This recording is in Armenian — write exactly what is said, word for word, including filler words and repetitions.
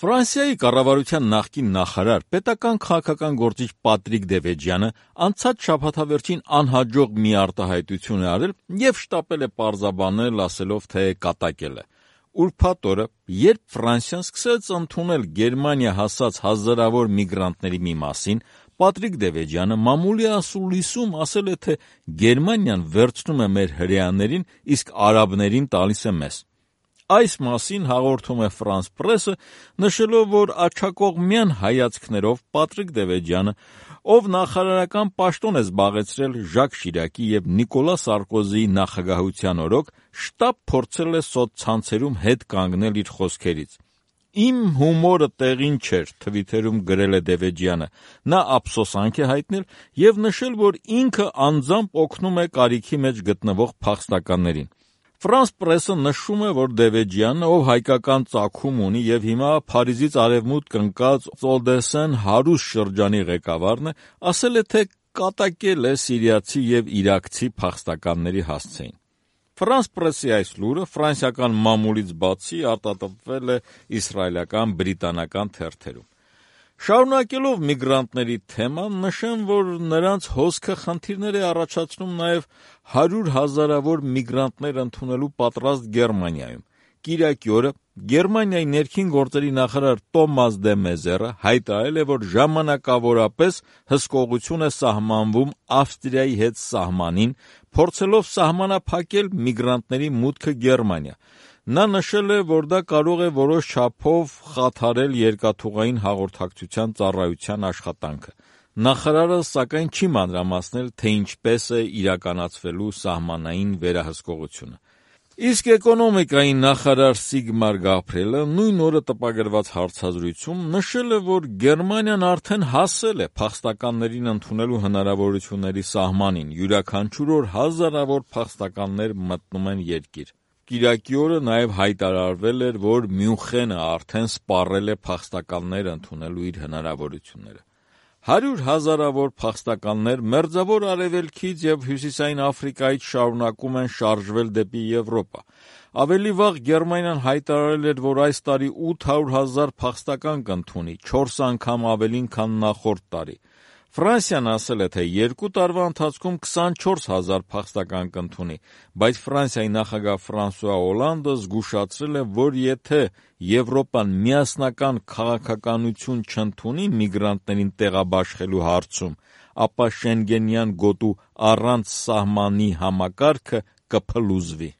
Ֆրանսիայի կառավարության նախկին նախարար, պետական քաղաքական գործիչ Պատրիկ Դևեջյանը անցած շաբաթավերջին անհաջող մի արտահայտություն է արել և շտապել է պարզաբանել, ասելով, թե կատակել է։ Ուրբաթ օրը, երբ Ֆրանսիան սկսեց ընդունել Գերմանիա հասած հազարավոր միգրանտների մի մասին, Պատրիկ Դևեջյանը մամուլի ասուլիսում ասել է, թե Գերմանիան վերցնում է մեր հրեաներին, իսկ արաբներին տալիս է մեզ։ Այս մասին հաղորդում է Ֆրանս պրեսը, նշելով, որ աջակողմյան հայացքներով Պատրիկ Դևեջյանը, ով նախարարական պաշտոն է զբաղեցրել Ժակ Շիրակի և Նիկոլա Սարկոզիի նախագահության օրոք, շտապ փորձել է սոցցանցերում հետ կանգնել իր խոսքերից։ Իմ հումորը տեղին չէր, թվիթերում գրել է Դևեջյանը, նա ափսոսանք է հայտնել և նշել, որ ինքը անձամբ օգնում է կարիքի մեջ գտնվող փախստականներին։ Ֆրանս պրեսը նշում է, որ Դևեջյանը, ով հայկական ծագում ունի և հիմա Փարիզից արևմուտք ընկած Օդեսեն հարուստ շրջանի ղեկավարն է, ասել է, թե կատակել է սիրիացի և իրաքցի փախստականների հասցեին։ Ֆրանս պրեսի այս լուրը ֆրանսիական մամուլից բացի արտահայտվել է իսրայելական, բրիտանական թերթերում։ Շարունակելով միգրանտների թեման, նշեմ, որ նրանց հոսքը խնդիրներ է առաջացնում նաև հարյուր հազարավոր միգրանտներ ընդունելու պատրաստ Գերմանիայում։ Կիրակի օրը Գերմանիայի ներքին գործերի նախարար Տոմաս դե Մեզերը հայտարարել է, որ ժամանակավորապես հսկողություն է սահմանվում Ավստրիայի հետ սահմանին, փորձելով սահմանափակել միգրանտների մուտքը Գերմանիա։ Նա նշել է, որ դա կարող է որոշ չափով խաթարել երկաթուղային հաղորդակցության ծառայության աշխատանքը։ Նախարարը, սակայն, չի մանրամասնել, թե ինչպես է իրականացվելու սահմանային վերահսկողությունը։ Իսկ էկոնոմիկայի նախարար Սիգմար Գաբրիելը նույն օրը տպագրված հարցազրույցում նշել է, որ Գերմանիան արդեն հասել է փախստականներին ընդունելու հնարավորությունների սահմանին, յուրաքանչյուր օր հազարավոր փախստականներ մտնում են երկիր։ Կիրակի օրը նաև հայտարարվել էր, որ Մյունխենը արդեն սպառել է փախստականներ ընդունելու իր հնարավորությունները։ Հարյուր հազարավոր փախստականներ Մերձավոր Արևելքից և Հյուսիսային Աֆրիկայից շարունակում են շարժվել դեպի Եվրոպա։ Ավելի վաղ Գերմանիան հայտարարել էր, որ այս տարի ութ հարյուր հազար փախստական կընդունի, չորս անգամ ավելին, քան նախորդ տարի։ Ֆրանսիան ասել է, թե երկու տարվա ընթացքում քսանչորս հազար փախստական կընդունի, բայց Ֆրանսիայի նախագահ Ֆրանսուଆ Օլանդը զգուշացրել է, որ եթե Եվրոպան միասնական քաղաքականություն չընդունի միգրանտներին տեղաբաշխելու հարցում, ապա Շենգենյան գոտու առանց սահմանի համակարգը կփլուզվի։